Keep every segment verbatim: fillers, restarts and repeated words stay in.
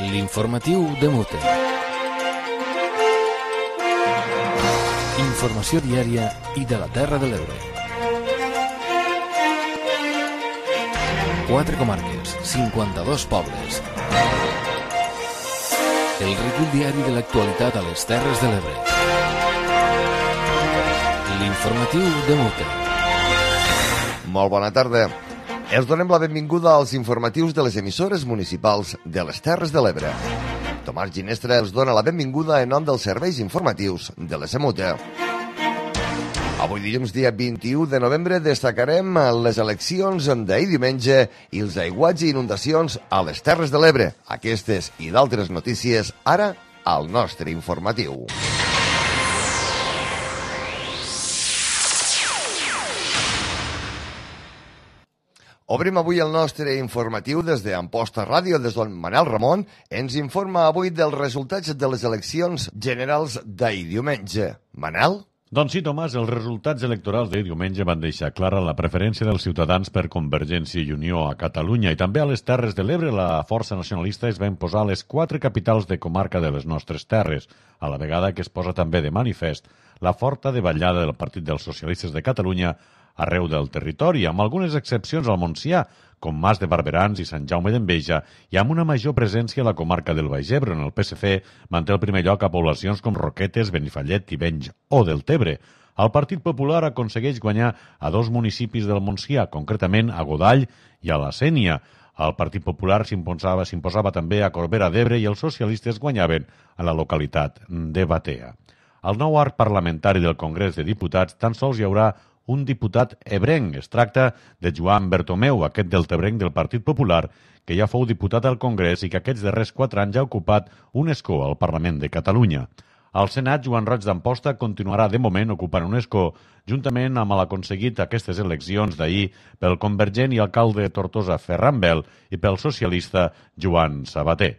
L'informatiu de Mute. Informació diària i de la Terra de l'Ebre. Quatre comarques, cinquanta-dos pobles. El recull diari de l'actualitat a les Terres de l'Ebre. L'informatiu de Mute. Molt bona tarda. Els donem la benvinguda als informatius de les emissores municipals de les Terres de l'Ebre. Tomàs Ginestra els dona la benvinguda en nom dels serveis informatius de la Semuta. Avui dilluns, dia vint-i-u de novembre, destacarem les eleccions d'ahir diumenge i els aiguats i inundacions a les Terres de l'Ebre. Aquestes i d'altres notícies ara al nostre informatiu. Obrim avui el nostre informatiu des d'Amposta Ràdio, des d'on Manel Ramon ens informa avui dels resultats de les eleccions generals d'ahir diumenge. Manel? Doncs sí, Tomàs, els resultats electorals d'ahir diumenge van deixar clara la preferència dels ciutadans per Convergència i Unió a Catalunya i també a les Terres de l'Ebre. La força nacionalista es va imposar a les quatre capitals de comarca de les nostres terres, a la vegada que es posa també de manifest la forta davallada del Partit dels Socialistes de Catalunya arreu del territori, amb algunes excepcions al Montsià, com Mas de Barberans i Sant Jaume d'Enveja, i amb una major presència a la comarca del Baix Ebre, on el P S C manté el primer lloc a poblacions com Roquetes, Benifallet, Tivenys o Deltebre. El Partit Popular aconsegueix guanyar a dos municipis del Montsià, concretament a Godall i a la Sénia. El Partit Popular s'imposava, s'imposava també a Corbera d'Ebre i els socialistes guanyaven a la localitat de Batea. Al nou arc parlamentari del Congrés de Diputats tan sols hi haurà un diputat ebrenc. Es tracta de Joan Bertomeu, aquest deltebrenc del Partit Popular, que ja fou diputat al Congrés i que aquests darrers quatre anys ha ocupat un escó al Parlament de Catalunya. Al Senat, Joan Roig d'Amposta continuarà de moment ocupant un escó, juntament amb l'aconseguit aquestes eleccions d'ahir pel convergent i alcalde de Tortosa, Ferran Bel, i pel socialista Joan Sabater.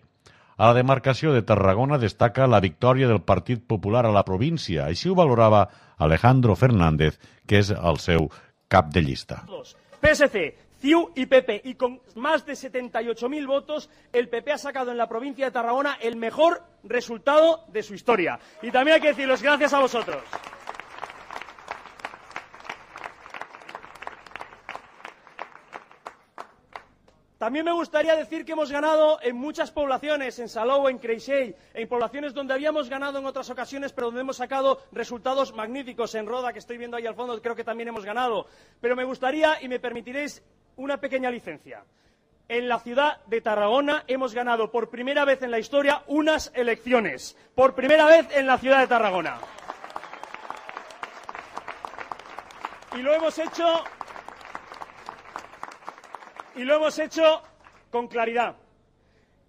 A la demarcació de Tarragona destaca la victòria del Partit Popular a la província. Així ho valorava Alejandro Fernández, que és el seu cap de llista. P S C, C I U y P P, y con más de setenta y ocho mil votos, el P P ha sacado en la provincia de Tarragona el mejor resultado de su historia. Y también hay que decirles gracias a vosotros. También me gustaría decir que hemos ganado en muchas poblaciones, en Salou, en Creixell, en poblaciones donde habíamos ganado en otras ocasiones, pero donde hemos sacado resultados magníficos. En Roda, que estoy viendo ahí al fondo, creo que también hemos ganado. Pero me gustaría, y me permitiréis, una pequeña licencia. En la ciudad de Tarragona hemos ganado por primera vez en la historia unas elecciones. Por primera vez en la ciudad de Tarragona. Y lo hemos hecho... Y lo hemos hecho con claridad,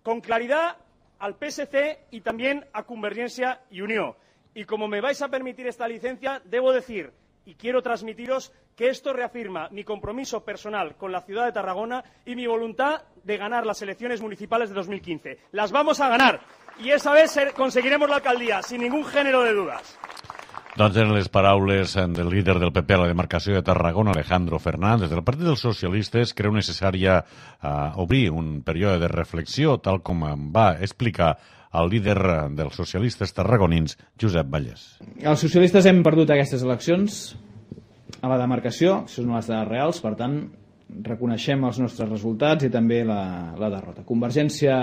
con claridad al P S C y también a Convergencia y Unió. Y como me vais a permitir esta licencia, debo decir, y quiero transmitiros, que esto reafirma mi compromiso personal con la ciudad de Tarragona y mi voluntad de ganar las elecciones municipales de dos mil quince. Las vamos a ganar y esa vez conseguiremos la alcaldía, sin ningún género de dudas. Doncs eren les paraules del líder del P P a la demarcació de Tarragona, Alejandro Fernández. El Partit dels Socialistes creu necessària uh, obrir un període de reflexió, tal com va explicar el líder dels socialistes tarragonins, Josep Vallès. Els socialistes hem perdut aquestes eleccions a la demarcació, això són les dades reals, per tant, reconeixem els nostres resultats i també la, la derrota. Convergència,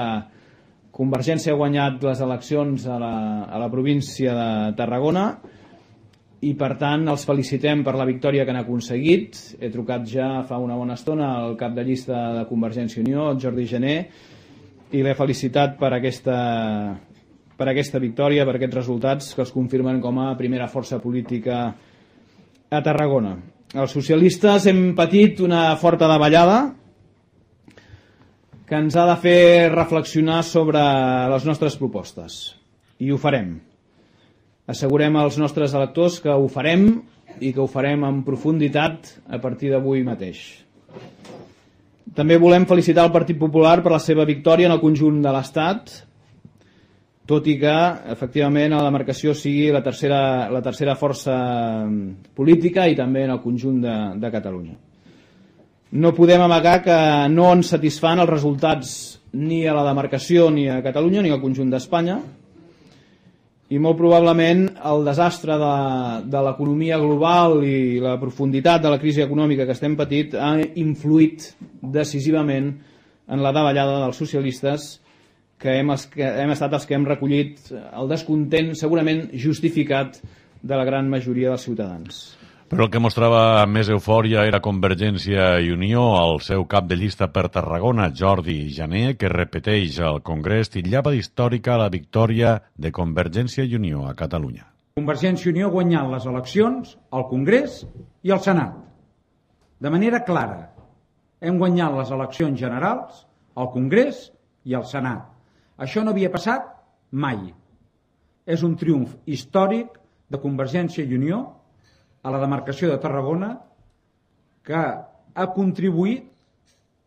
Convergència ha guanyat les eleccions a la, a la província de Tarragona i, per tant, els felicitem per la victòria que han aconseguit. He trucat ja fa una bona estona al cap de llista de Convergència i Unió, el Jordi Gené, i l'he felicitat per aquesta, per aquesta victòria, per aquests resultats que els confirmen com a primera força política a Tarragona. Els socialistes hem patit una forta davallada que ens ha de fer reflexionar sobre les nostres propostes. I ho farem. Assegurem als nostres electors que ho farem i que ho farem en profunditat a partir d'avui mateix. També volem felicitar el Partit Popular per la seva victòria en el conjunt de l'Estat, tot i que, efectivament, la demarcació sigui la tercera, la tercera força política i també en el conjunt de, de Catalunya. No podem amagar que no ens satisfan els resultats ni a la demarcació, ni a Catalunya, ni al conjunt d'Espanya, i molt probablement el desastre de, de l'economia global i la profunditat de la crisi econòmica que estem patint ha influït decisivament en la davallada dels socialistes, que hem, que hem estat els que hem recollit el descontent segurament justificat de la gran majoria dels ciutadans. Però el que mostrava més eufòria era Convergència i Unió, el seu cap de llista per Tarragona, Jordi Jané, que repeteix al Congrés titllava d'històrica la victòria de Convergència i Unió a Catalunya. Convergència i Unió ha guanyat les eleccions al Congrés i al Senat. De manera clara, hem guanyat les eleccions generals al Congrés i al Senat. Això no havia passat mai. És un triomf històric de Convergència i Unió a la demarcació de Tarragona, que ha contribuït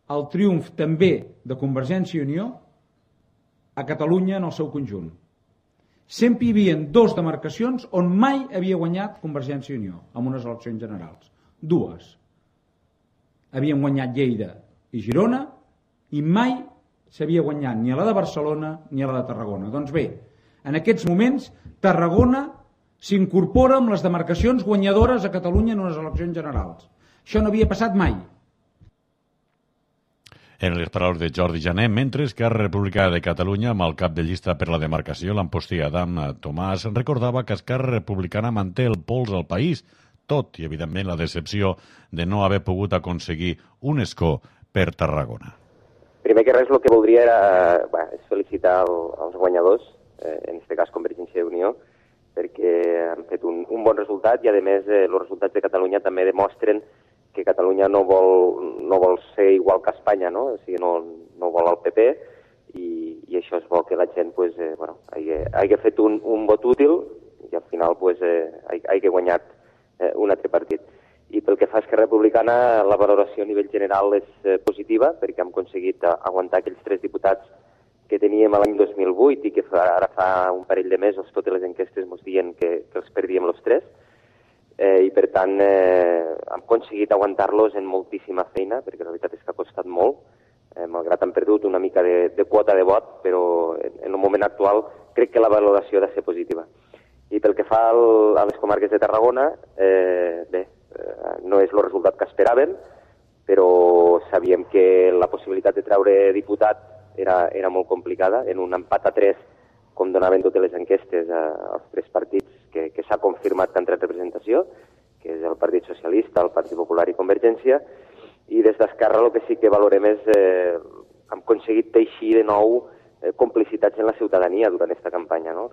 al triomf també de Convergència i Unió a Catalunya en el seu conjunt. Sempre hi havia dues demarcacions on mai havia guanyat Convergència i Unió en unes eleccions generals. Dues. Havien guanyat Lleida i Girona i mai s'havia guanyat ni a la de Barcelona ni a la de Tarragona. Doncs bé, en aquests moments Tarragona s'incorpora amb les demarcacions guanyadores a Catalunya en unes eleccions generals. Això no havia passat mai. En les paraules de Jordi Jané, mentre que Esquerra Republicana de Catalunya, amb el cap de llista per la demarcació, l'amposti Adam Tomàs, recordava que Esquerra Republicana manté el pols al país, tot i, evidentment, la decepció de no haver pogut aconseguir un escó per Tarragona. Primer que res, el que voldria era bé, és felicitar el, els guanyadors, eh, en aquest cas Convergència i Unió, perquè han fet un, un bon resultat i, a més, eh, els resultats de Catalunya també demostren que Catalunya no vol, no vol ser igual que Espanya, no? O sigui, no, no vol el P P i, i això és bo que la gent pues, eh, bueno, hagi, hagi fet un, un vot útil i al final pues, eh, hagi guanyat eh, un altre partit. I pel que fa a Esquerra Republicana, la valoració a nivell general és eh, positiva perquè hem aconseguit aguantar aquells tres diputats que teníem l'any dos mil vuit i que fa, ara fa un parell de mesos totes les enquestes ens diuen que, que els perdíem els tres. Eh, I per tant eh, hem aconseguit aguantar-los en moltíssima feina, perquè la veritat és que ha costat molt, eh, malgrat han perdut una mica de, de quota de vot, però en, en el moment actual crec que la valoració ha de ser positiva. I pel que fa al, a les comarques de Tarragona, eh, bé, eh, no és el resultat que esperàvem, però sabíem que la possibilitat de treure diputat Era, era molt complicada, en un empat a tres, com donaven totes les enquestes a, als tres partits que, que s'ha confirmat que han tret representació, que és el Partit Socialista, el Partit Popular i Convergència, i des d'Esquerra el que sí que valorem és eh, hem aconseguit teixir de nou eh, complicitats en la ciutadania durant aquesta campanya, no?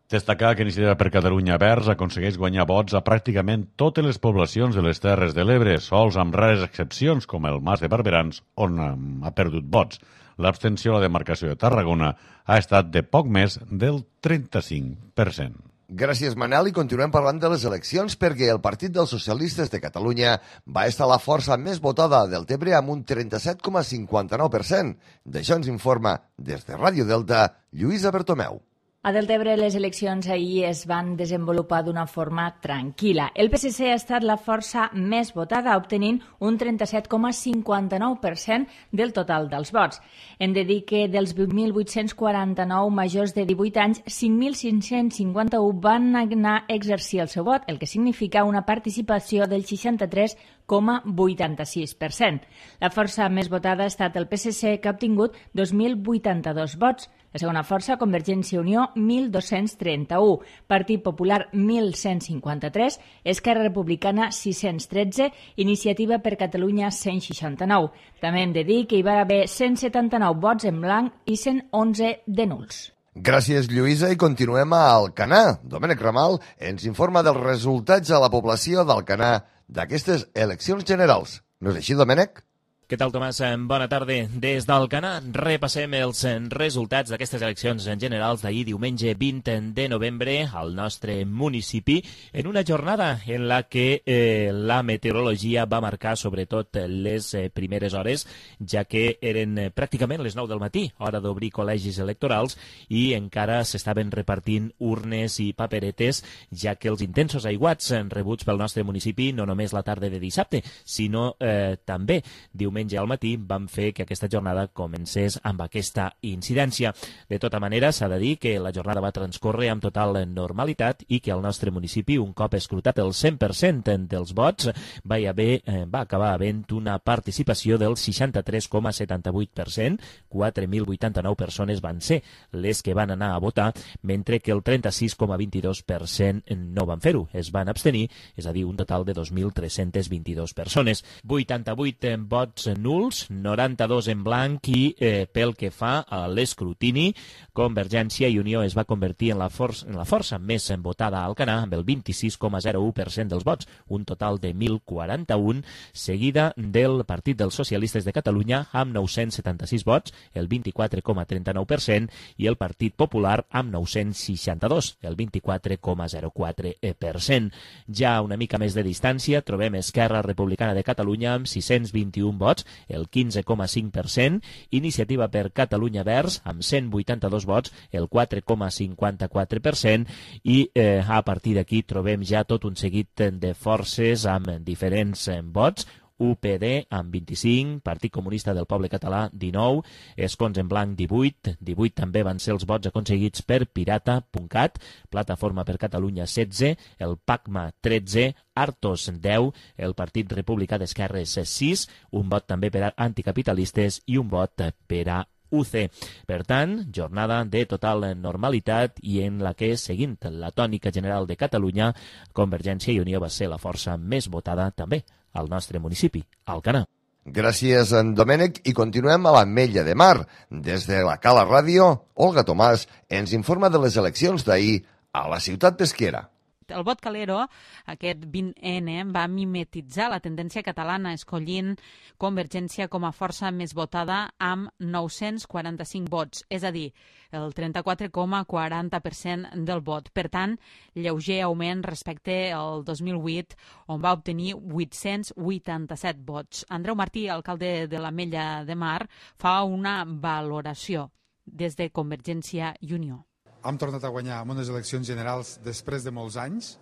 Destacar que Iniciativa per Catalunya Verds aconsegueix guanyar vots a pràcticament totes les poblacions de les Terres de l'Ebre, sols amb rares excepcions, com el Mas de Barberans, on ha perdut vots. L'abstenció a la demarcació de Tarragona ha estat de poc més del trenta-cinc per cent. Gràcies, Manel, i continuem parlant de les eleccions perquè el Partit dels Socialistes de Catalunya va estar la força més votada del Tebre amb un trenta-set coma cinquanta-nou per cent. D'això ens informa des de Ràdio Delta, Lluïsa Bertomeu. A Deltebre les eleccions ahir es van desenvolupar d'una forma tranquil·la. El P S C ha estat la força més votada, obtenint un trenta-set coma cinquanta-nou per cent del total dels vots. Hem de dir que dels vuit mil vuit-cents quaranta-nou majors de divuit anys, cinc mil cinc-cents cinquanta-un van anar a exercir el seu vot, el que significa una participació del seixanta-tres coma vuitanta-sis per cent. La força més votada ha estat el P S C, que ha obtingut dos mil vuitanta-dos vots. La segona força, Convergència i Unió, mil dos-cents trenta-u, Partit Popular, mil cent cinquanta-tres, Esquerra Republicana, sis-cents tretze, Iniciativa per Catalunya, cent seixanta-nou. També hem de dir que hi va haver cent setanta-nou vots en blanc i cent onze de nuls. Gràcies, Lluïsa, i continuem a Alcanar. Domènec Ramal ens informa dels resultats a la població d'Alcanar d'aquestes eleccions generals. No és així, Domènec? Què tal, Tomàs? Bona tarda. Des d'Alcanar repassem els resultats d'aquestes eleccions generals d'ahir diumenge vint de novembre al nostre municipi en una jornada en la que eh, la meteorologia va marcar sobretot les eh, primeres hores, ja que eren eh, pràcticament les nou del matí, hora d'obrir col·legis electorals, i encara s'estaven repartint urnes i paperetes, ja que els intensos aiguats rebuts pel nostre municipi no només la tarda de dissabte, sinó eh, també diumenge diumenge al matí van fer que aquesta jornada comencés amb aquesta incidència. De tota manera, s'ha de dir que la jornada va transcórrer amb total normalitat i que al nostre municipi, un cop escrutat el cent per cent dels vots, va, haver, eh, va acabar havent una participació del seixanta-tres coma setanta-vuit per cent, quatre mil vuitanta-nou persones van ser les que van anar a votar, mentre que el trenta-sis coma vint-i-dos per cent no van fer-ho, es van abstenir, és a dir, un total de dos mil tres-cents vint-i-dos persones. vuitanta-vuit vots nuls, noranta-dos en blanc i eh, pel que fa a l'escrutini, Convergència i Unió es va convertir en la, força, en la força més votada a Alcanar amb el vint-i-sis coma zero u per cent dels vots, un total de mil quaranta-un, seguida del Partit dels Socialistes de Catalunya amb nou-cents setanta-sis vots, el vint-i-quatre coma trenta-nou per cent, i el Partit Popular amb nou-cents seixanta-dos, el vint-i-quatre coma zero quatre per cent. Ja una mica més de distància trobem Esquerra Republicana de Catalunya amb sis-cents vint-i-un vots, el quinze coma cinc per cent, Iniciativa per Catalunya Verds amb cent vuitanta-dos vots, el quatre coma cinquanta-quatre per cent, i eh, a partir d'aquí trobem ja tot un seguit de forces amb diferents eh, vots. U P D amb vint-i-cinc, Partit Comunista del Poble Català dinou, Escons en Blanc divuit, divuit també van ser els vots aconseguits per Pirata.cat, Plataforma per Catalunya setze, el PACMA tretze, Artos deu, el Partit Republicà d'Esquerres sis, un vot també per a anticapitalistes i un vot per a U C. Per tant, jornada de total normalitat i en la que, seguint la tònica general de Catalunya, Convergència i Unió va ser la força més votada també al nostre municipi, Alcanar. Gràcies, en Domènec, i continuem a l'Ametlla de Mar. Des de la Cala Ràdio, Olga Tomàs ens informa de les eleccions d'ahir a la ciutat pesquera. El vot Calero, aquest vint ene, va mimetitzar la tendència catalana, escollint Convergència com a força més votada amb nou-cents quaranta-cinc vots, és a dir, el trenta-quatre coma quaranta per cent del vot. Per tant, lleuger augment respecte al dos mil vuit, on va obtenir vuit-cents vuitanta-set vots. Andreu Martí, alcalde de l'Ametlla de Mar, fa una valoració des de Convergència i Unió. Hem tornat a guanyar en unes eleccions generals després de molts anys.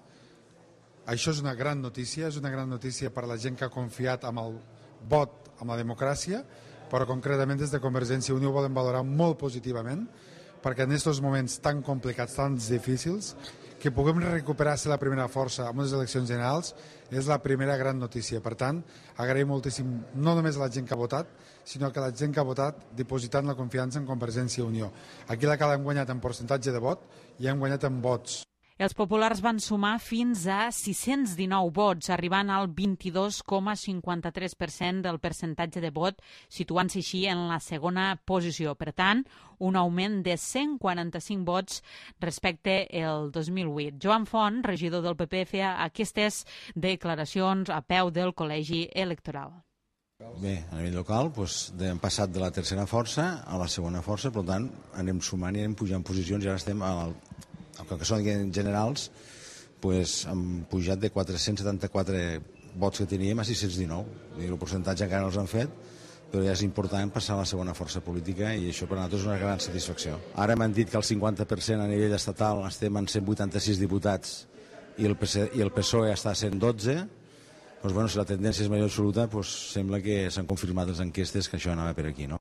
Això és una gran notícia, és una gran notícia per a la gent que ha confiat en el vot, en la democràcia, però concretament des de Convergència i Unió ho volem valorar molt positivament, perquè en aquests moments tan complicats, tan difícils, que puguem recuperar-se la primera força en unes eleccions generals és la primera gran notícia. Per tant, agraïm moltíssim no només a la gent que ha votat, sinó que la gent que ha votat dipositant la confiança en Convergència i Unió. Aquí la Cala hem guanyat en percentatge de vot i hem guanyat en vots. Els populars van sumar fins a sis-cents dinou vots, arribant al vint-i-dos coma cinquanta-tres per cent del percentatge de vot, situant-se així en la segona posició. Per tant, un augment de cent quaranta-cinc vots respecte al dos mil vuit. Joan Font, regidor del P P, feia aquestes declaracions a peu del col·legi electoral. Bé, a nivell local doncs, hem passat de la tercera força a la segona força, per tant anem sumant i anem pujant posicions i ara estem al el que són generals, doncs, hem pujat de quatre-cents setanta-quatre vots que teníem a sis-cents dinou. El percentatge encara no els han fet, però ja és important passar a la segona força política i això per a nosaltres és una gran satisfacció. Ara m'han dit que el cinquanta per cent a nivell estatal estem en cent vuitanta-sis diputats i el, P S, i el P S O E està a cent dotze. Doncs, bueno, si la tendència és major absoluta, doncs, sembla que s'han confirmat les enquestes que això anava per aquí, no?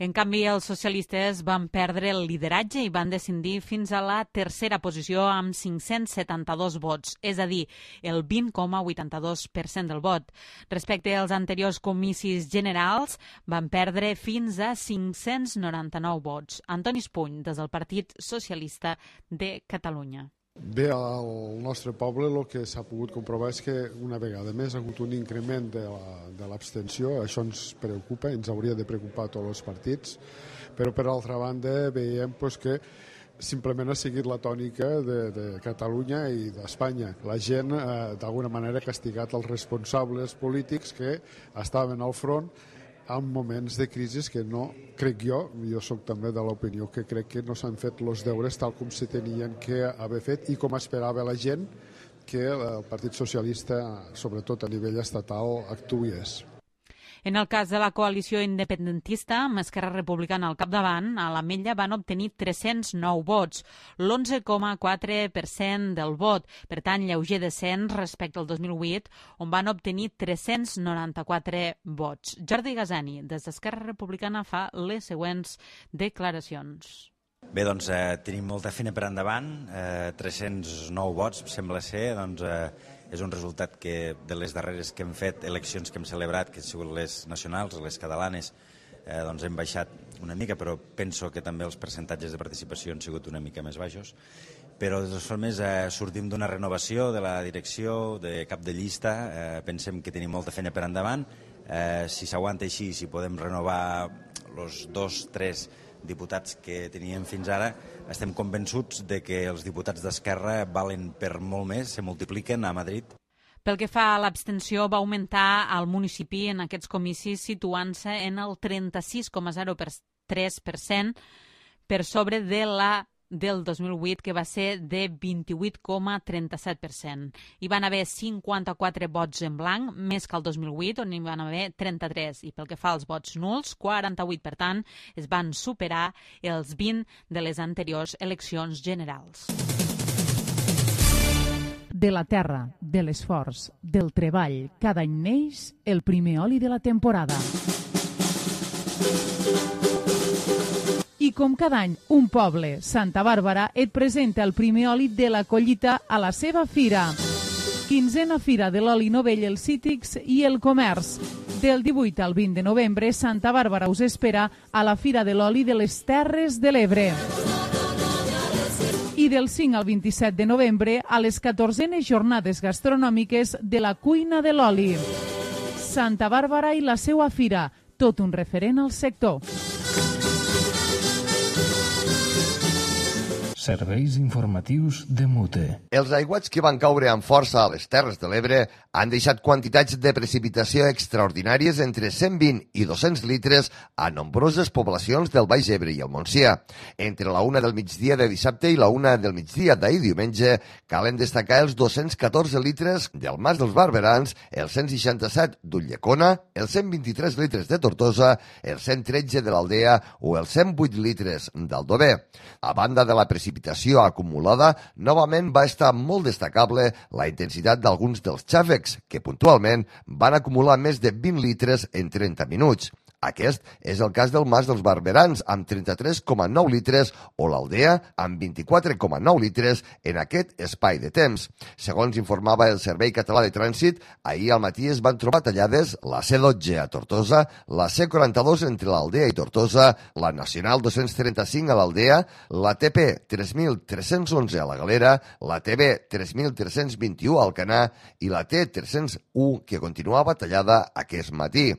En canvi, els socialistes van perdre el lideratge i van descendir fins a la tercera posició amb cinc-cents setanta-dos vots, és a dir, el vint coma vuitanta-dos per cent del vot. Respecte als anteriors comicis generals, van perdre fins a cinc-cents noranta-nou vots. Antoni Espuny, des del Partit Socialista de Catalunya. Bé, al nostre poble el que s'ha pogut comprovar és que una vegada més ha hagut un increment de l'abstenció. Això ens preocupa, ens hauria de preocupar a tots els partits, però per altra banda veiem pues, que simplement ha seguit la tònica de, de Catalunya i d'Espanya. La gent, eh, d'alguna manera, ha castigat els responsables polítics que estaven al front en moments de crisi que no, crec jo, jo sóc també de l'opinió que crec que no s'han fet els deures tal com se tenien que haver fet i com esperava la gent que el Partit Socialista, sobretot a nivell estatal, actués. En el cas de la coalició independentista, amb Esquerra Republicana al capdavant, a l'Ametlla van obtenir tres-cents nou vots, l'onze coma quatre per cent del vot, per tant, lleuger descens respecte al dos mil vuit, on van obtenir tres-cents noranta-quatre vots. Jordi Gasani, des d'Esquerra Republicana, fa les següents declaracions. Bé, doncs eh, tenim molta feina per endavant, eh, tres-cents nou vots, sembla ser, doncs eh, és un resultat que de les darreres que hem fet, eleccions que hem celebrat, que han sigut les nacionals, les catalanes, eh, doncs hem baixat una mica, però penso que també els percentatges de participació han sigut una mica més baixos. Però de totes formes eh, sortim d'una renovació de la direcció, de cap de llista, eh, pensem que tenim molta feina per endavant, eh, si s'aguanta així, si podem renovar els dos, tres diputats que teníem fins ara, estem convençuts de que els diputats d'Esquerra valen per molt més, se multipliquen a Madrid. Pel que fa a l'abstenció, va augmentar al municipi en aquests comicis situant-se en el trenta-sis coma zero tres per cent per sobre de la del dos mil vuit, que va ser de vint-i-vuit coma trenta-set per cent. Hi van haver cinquanta-quatre vots en blanc, més que el dos mil vuit, on hi van haver trenta-tres. I pel que fa als vots nuls, quaranta-vuit, per tant, es van superar els vint de les anteriors eleccions generals. De la terra, de l'esforç, del treball, cada any neix el primer oli de la temporada. I com cada any, un poble, Santa Bàrbara, et presenta el primer oli de la collita a la seva fira. Quinzena Fira de l'Oli Novell, els Cítrics i el Comerç. Del divuit al vint de novembre, Santa Bàrbara us espera a la Fira de l'Oli de les Terres de l'Ebre. I del cinc al vint-i-set de novembre, a les catorzenes jornades gastronòmiques de la Cuina de l'Oli. Santa Bàrbara i la seva fira, tot un referent al sector. Serveis informatius de Mute. Els aiguats que van caure amb força a les Terres de l'Ebre han deixat quantitats de precipitació extraordinàries entre cent vint i dos-cents litres a nombroses poblacions del Baix Ebre i el Montsià. Entre la una del migdia de dissabte i la una del migdia d'ahir diumenge calen destacar els dos-cents catorze litres del Mas dels Barberans, els cent seixanta-set d'Ulldecona, els cent vint-i-tres litres de Tortosa, els cent tretze de l'Aldea o els cent vuit litres d'Aldover. A banda de la precipitació acumulada, novament va estar molt destacable la intensitat d'alguns dels xàfecs, que puntualment van acumular més de vint litres en trenta minuts. Aquest és el cas del Mas dels Barberans, amb trenta-tres coma nou litres, o l'Aldea, amb vint-i-quatre coma nou litres en aquest espai de temps. Segons informava el Servei Català de Trànsit, ahir al matí es van trobar tallades la C dotze a Tortosa, la C quaranta-dos entre l'Aldea i Tortosa, la Nacional dos-cents trenta-cinc a l'Aldea, la T P tres mil tres-cents onze a la Galera, la T B tres mil tres-cents vint-i-u a Alcanar i la T tres-cents u, que continuava tallada aquest matí.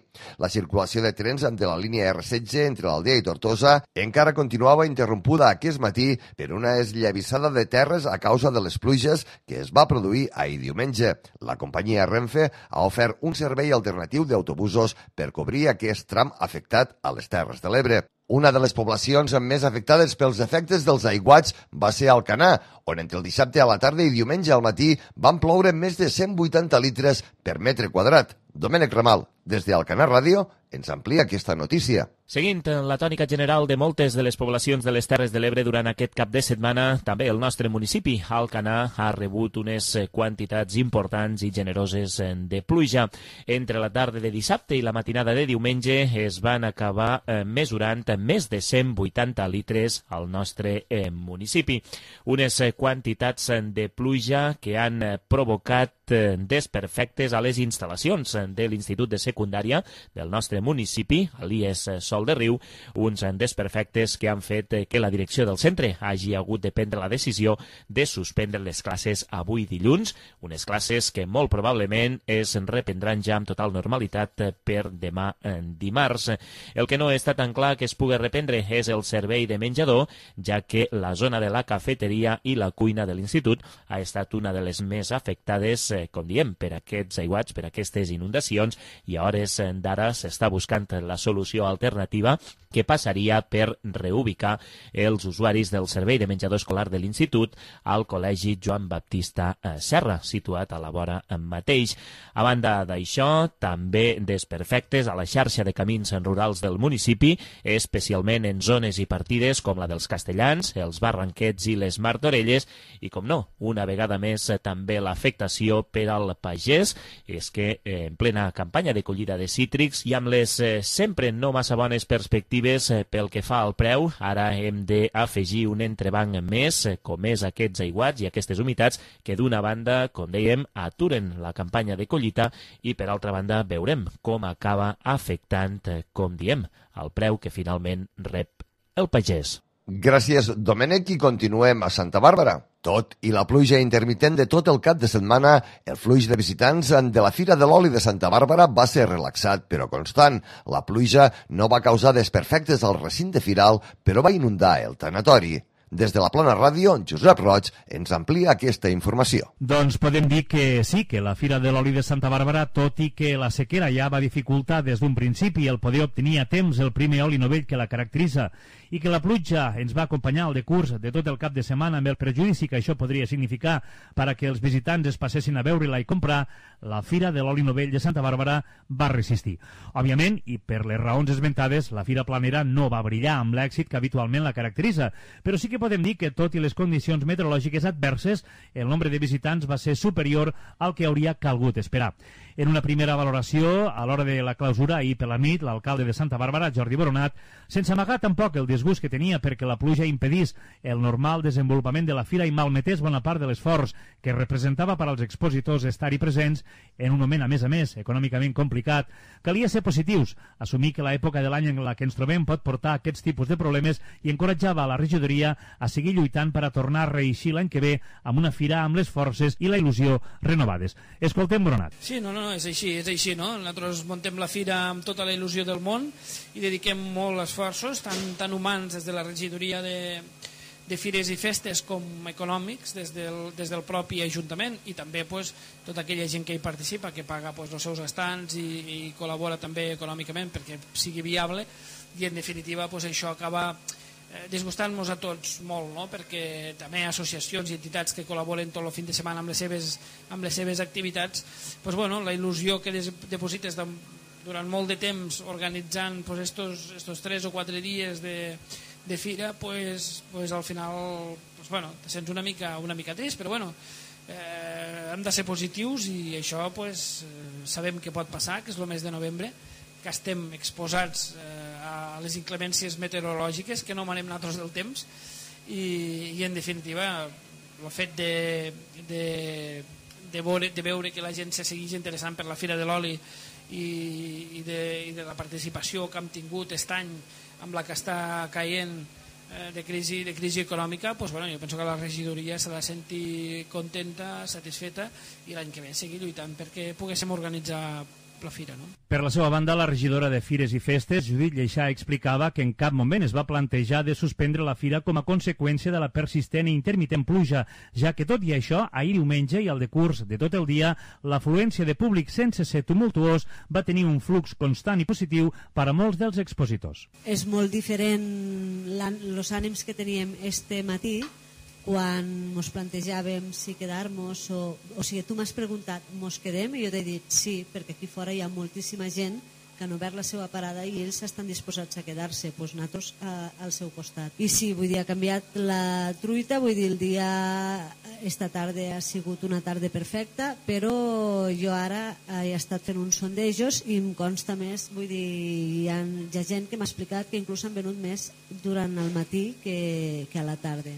La circulació de trens de la línia R setze entre l'Aldea i Tortosa encara continuava interrompuda aquest matí per una esllavissada de terres a causa de les pluges que es va produir ahir diumenge. La companyia Renfe ha ofert un servei alternatiu d'autobusos per cobrir aquest tram afectat a les Terres de l'Ebre. Una de les poblacions més afectades pels efectes dels aiguats va ser Alcanar, on entre el dissabte a la tarda i diumenge al matí van ploure més de cent vuitanta litres per metre quadrat. Domènec Ramal, des d'Alcanar Ràdio, ens amplia aquesta notícia. Seguint la tònica general de moltes de les poblacions de les Terres de l'Ebre durant aquest cap de setmana, també el nostre municipi, Alcanar, ha rebut unes quantitats importants i generoses de pluja. Entre la tarda de dissabte i la matinada de diumenge es van acabar mesurant més de cent vuitanta litres al nostre municipi. Unes quantitats de pluja que han provocat desperfectes a les instal·lacions de l'Institut de Secundària del nostre municipi, a l'I E S Sol de Riu, uns desperfectes que han fet que la direcció del centre hagi hagut de prendre la decisió de suspendre les classes avui dilluns, unes classes que molt probablement es reprendran ja amb total normalitat per demà dimarts. El que no està tan clar que es pugui reprendre és el servei de menjador, ja que la zona de la cafeteria i la cuina de l'institut ha estat una de les més afectades, com diem, per aquests aiguats, per aquestes inundacions, i a hores d'ara s'està buscant la solució alternativa que passaria per reubicar els usuaris del servei de menjador escolar de l'institut al Col·legi Joan Baptista Serra, situat a la vora mateix. A banda d'això, també desperfectes a la xarxa de camins rurals del municipi, especialment en zones i partides com la dels Castellans, els Barranquets i les Martorelles, i com no, una vegada més també l'afectació per al pagès, és que eh, en plena campanya de collida de cítrics i amb les eh, sempre no massa bones perspectives eh, pel que fa al preu, ara hem d'afegir un entrebanc més, eh, com és aquests aiguats i aquestes humitats que d'una banda, com dèiem, aturen la campanya de collita i per altra banda veurem com acaba afectant, eh, com diem, el preu que finalment rep el pagès. Gràcies, Domènec, i continuem a Santa Bàrbara. Tot i la pluja intermitent de tot el cap de setmana, el flux de visitants de la Fira de l'Oli de Santa Bàrbara va ser relaxat però constant. La pluja no va causar desperfectes al recinte firal, però va inundar el tanatori. Des de la Plana Ràdio, Josep Roig ens amplia aquesta informació. Doncs podem dir que sí, que la Fira de l'Oli de Santa Bàrbara, tot i que la sequera ja va dificultar des d'un principi el poder obtenir a temps el primer oli novell que la caracteritza i que la pluja ens va acompanyar al decurs de tot el cap de setmana amb el perjudici que això podria significar per a que els visitants es passessin a veure-la i comprar, la Fira de l'Oli Novell de Santa Bàrbara va resistir. Òbviament, i per les raons esmentades, la Fira Planera no va brillar amb l'èxit que habitualment la caracteritza, però sí que podem dir que, tot i les condicions meteorològiques adverses, el nombre de visitants va ser superior al que hauria calgut esperar. En una primera valoració, a l'hora de la clausura, ahir per la nit, l'alcalde de Santa Bàrbara, Jordi Boronat, sense amagar tampoc el disgust que tenia perquè la pluja impedís el normal desenvolupament de la fira i malmetés bona part de l'esforç que representava per als expositors estar-hi presents en un moment, a més a més, econòmicament complicat, calia ser positius, assumir que l'època de l'any en la que ens trobem pot portar aquests tipus de problemes i encoratjava la regidoria a seguir lluitant per a tornar a reeixir l'any que ve amb una fira amb les forces i la il·lusió renovades. Escoltem Boronat. Sí, no, no, és així, és així, no? Nosaltres muntem la fira amb tota la il·lusió del món i dediquem molt esforços, tant, tant humans des de la regidoria de, de fires i festes com econòmics des del, des del propi Ajuntament i també pues, tota aquella gent que hi participa, que paga pues, els seus estants i, i col·labora també econòmicament perquè sigui viable i en definitiva pues, això acaba disgustant-nos a tots molt, no? Perquè també hi ha associacions i entitats que col·laboren tot el fin de setmana amb les seves, amb les seves activitats, pues, bueno, la il·lusió que des, deposites de, durant molt de temps organitzant pues, estos, estos tres o quatre dies de, de fira, pues, pues, al final pues, bueno, te sents una mica, una mica trist, però bueno, eh, hem de ser positius i això pues, sabem que pot passar, que és el mes de novembre, que estem exposats eh, a les inclemències meteorològiques, que no manem nosaltres del temps i, i en definitiva el fet de, de, de, veure, de veure que la gent se segueix interessant per la Fira de l'Oli i, i, de, i de la participació que hem tingut aquest any amb la que està caient eh, de, crisi, de crisi econòmica, pues, bueno, jo penso que la regidoria s'ha de sentir contenta, satisfeta i l'any que ve seguir lluitant perquè poguéssim organitzar la fira, no? Per la seva banda, la regidora de Fires i Festes, Judit Lleixà, explicava que en cap moment es va plantejar de suspendre la fira com a conseqüència de la persistent i intermitent pluja, ja que tot i això, ahir diumenge i al decurs de tot el dia, l'afluència de públic sense ser tumultuós va tenir un flux constant i positiu per a molts dels expositors. És molt diferent els ànims que teníem este matí quan ens plantejàvem si quedar-nos o, o sigui, tu m'has preguntat, mos quedem? I jo t'he dit sí, perquè aquí fora hi ha moltíssima gent que han obert la seva parada i ells estan disposats a quedar-se, doncs nosaltres a, al seu costat. I sí, vull dir, ha canviat la truita, vull dir, el dia, esta tarda ha sigut una tarda perfecta, però jo ara he estat fent uns sondejos i em consta més, vull dir, hi ha, hi ha gent que m'ha explicat que inclús han venut més durant el matí que, que a la tarda.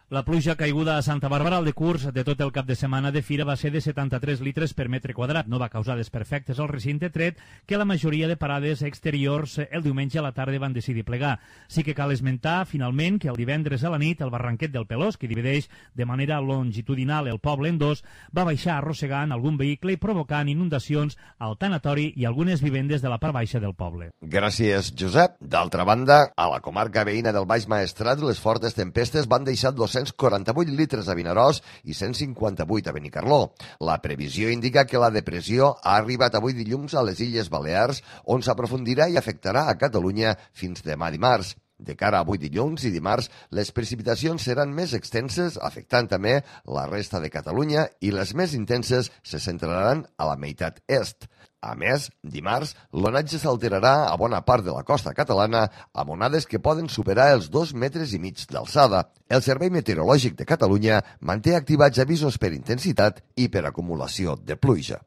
La pluja caiguda a Santa Bàrbara al decurs de tot el cap de setmana de fira va ser de setanta-tres litres per metre quadrat. No va causar desperfectes al recinte, tret que la majoria de parades exteriors el diumenge a la tarda van decidir plegar. Sí que cal esmentar, finalment, que el divendres a la nit el barranquet del Pelós, que divideix de manera longitudinal el poble en dos, va baixar arrossegant algun vehicle i provocant inundacions al tanatori i algunes vivendes de la part baixa del poble. Gràcies, Josep. D'altra banda, a la comarca veïna del Baix Maestrat, les fortes tempestes van deixar dos-cents quaranta-vuit litres a Vinaròs i cent cinquanta-vuit a Benicarló. La previsió indica que la depressió ha arribat avui dilluns a les Illes Balears, on s'aprofundirà i afectarà a Catalunya fins demà dimarts. De cara a avui dilluns i dimarts, les precipitacions seran més extenses, afectant també la resta de Catalunya, i les més intenses se centraran a la meitat est. A més, dimarts, l'onatge s'alterarà a bona part de la costa catalana amb onades que poden superar els dos metres i mig d'alçada. El Servei Meteorològic de Catalunya manté activats avisos per intensitat i per acumulació de pluja.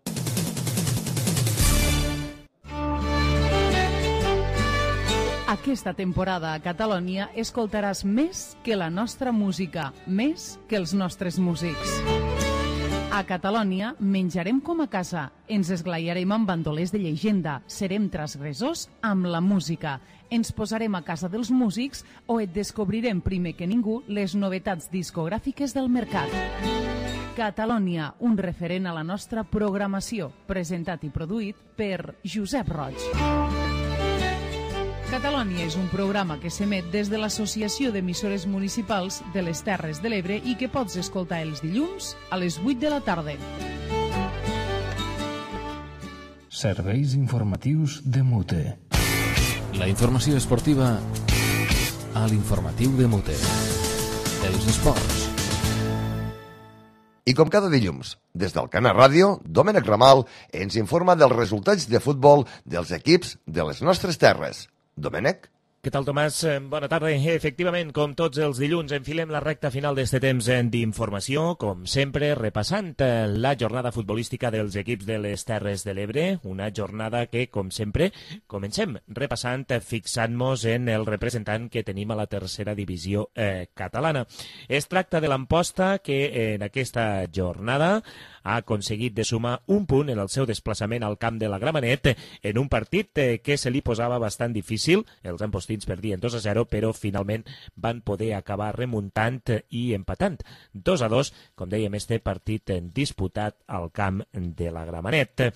Aquesta temporada a Catalunya escoltaràs més que la nostra música, més que els nostres músics. A Catalunya menjarem com a casa, ens esglaiarem amb bandolers de llegenda, serem transgressors amb la música, ens posarem a casa dels músics o et descobrirem primer que ningú les novetats discogràfiques del mercat. Catalunya, un referent a la nostra programació, presentat i produït per Josep Roig. Catalunya és un programa que s'emet des de l'Associació d'Emissores Municipals de les Terres de l'Ebre i que pots escoltar els dilluns a les vuit de la tarda. Serveis informatius de Mute. La informació esportiva a l'informatiu de Mute. Els esports. I com cada dilluns, des del Canal Ràdio, Domènec Ramal ens informa dels resultats de futbol dels equips de les nostres terres. Domènec? Què tal, Tomàs? Bona tarda. Efectivament, com tots els dilluns, enfilem la recta final d'este temps d'informació, com sempre, repassant la jornada futbolística dels equips de les Terres de l'Ebre, una jornada que, com sempre, comencem repassant, fixant-nos en el representant que tenim a la tercera divisió eh, catalana. Es tracta de l'Amposta, que en aquesta jornada ha aconseguit de sumar un punt en el seu desplaçament al camp de la Gramenet en un partit que se li posava bastant difícil. Els ampostins perdien dos a zero, però finalment van poder acabar remuntant i empatant dos a dos, com dèiem, este partit disputat al camp de la Gramenet.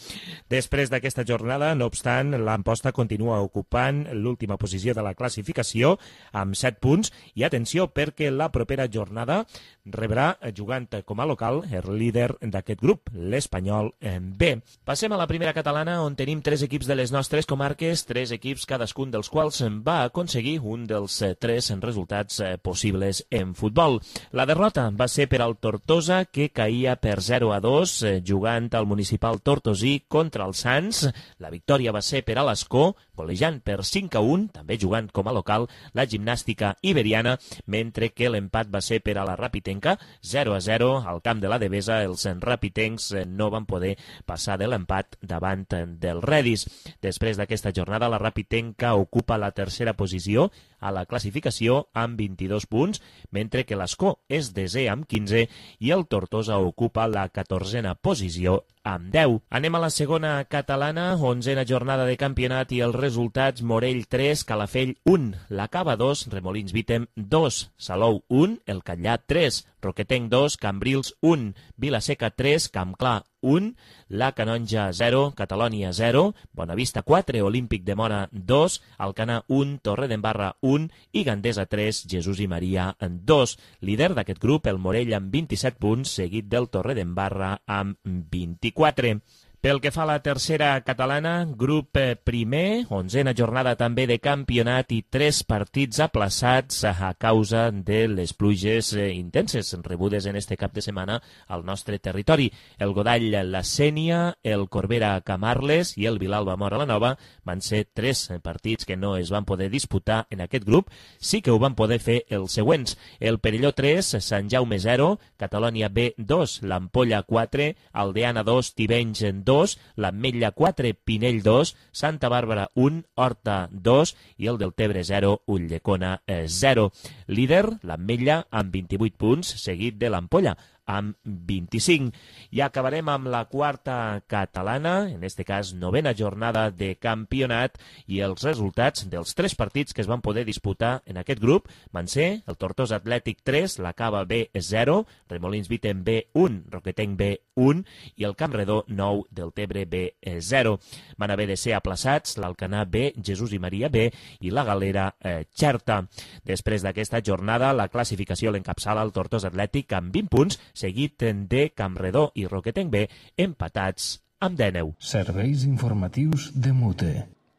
Després d'aquesta jornada, no obstant, l'Amposta continua ocupant l'última posició de la classificació amb set punts i atenció perquè la propera jornada rebrà, jugant com a local, el líder d'aquest grup, l'Espanyol B. Passem a la primera catalana, on tenim tres equips de les nostres comarques, tres equips cadascun dels quals va aconseguir un dels tres resultats possibles en futbol. La derrota va ser per al Tortosa, que caïa per zero a dos, jugant al municipal tortosí contra el Sants. La victòria va ser per a l'Escó, golejant per cinc a un, també jugant com a local, la Gimnàstica Iberiana, mentre que l'empat va ser per a la Rapitenca, zero a zero, al camp de la Devesa. Els rapitencs no van poder passar de l'empat davant del Redis. Després d'aquesta jornada, la Rapitenca ocupa la tercera posició a la classificació amb vint-i-dos punts, mentre que l'Escó és desè amb quinze i el Tortosa ocupa la catorzena posició amb deu. Anem a la segona catalana, onzena jornada de campionat i els resultats: Morell tres, Calafell un, la Cava dos, Remolins Vítem dos, Salou un, el Catllà tres, Roquetenc dos, Cambrils un, Vilaseca tres, Campclar un, la Canonja zero, Catalònia zero, Bonavista quatre, Olímpic de Mora dos, Alcanar un, Torredembarra un i Gandesa tres, Jesús i Maria dos. Líder d'aquest grup, el Morell amb vint-i-set punts, seguit del Torredembarra amb vint-i-quatre. Pel que fa a la tercera catalana, grup primer, onzena jornada també de campionat i tres partits aplaçats a causa de les pluges intenses rebudes en este cap de setmana al nostre territori. El Godall La Sénia, el Corbera Camarles i el Vilalba Mora la Nova van ser tres partits que no es van poder disputar en aquest grup. Sí que ho van poder fer els següents: el Perelló tres, Sant Jaume zero, Catalònia B dos, l'Ampolla quatre, Aldeana dos, Tivenys dos, dos, l'Ametlla quatre, Pinell dos, Santa Bàrbara un, Horta dos i el Deltebre zero, Ulldecona zero. Líder, l'Ametlla amb vint-i-vuit punts, seguit de l'Ampolla amb vint-i-cinc. I acabarem amb la quarta catalana, en este cas novena jornada de campionat, i els resultats dels tres partits que es van poder disputar en aquest grup van ser el Tortosa Atlètic tres, la Cava B zero, Remolins Viten B un, Roquetenc B un i el Campredó nou, Deltebre B zero. Van haver de ser aplaçats l'Alcanar B, Jesús i Maria B i la Galera eh, Xerta. Després d'aquesta jornada, la classificació l'encapçala el Tortosa Atlètic amb vint punts, seguit de Campredó i Roquetenc B empatats amb dinou. Serveis informatius de Mute.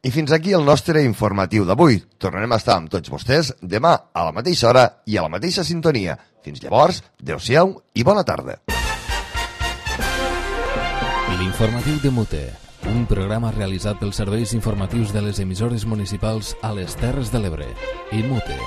I fins aquí el nostre informatiu d'avui. Tornarem a estar amb tots vostès demà a la mateixa hora i a la mateixa sintonia. Fins llavors, adeu-siau i bona tarda. L'informatiu de Mute, un programa realitzat pels serveis informatius de les emissores municipals a les Terres de l'Ebre i Mute.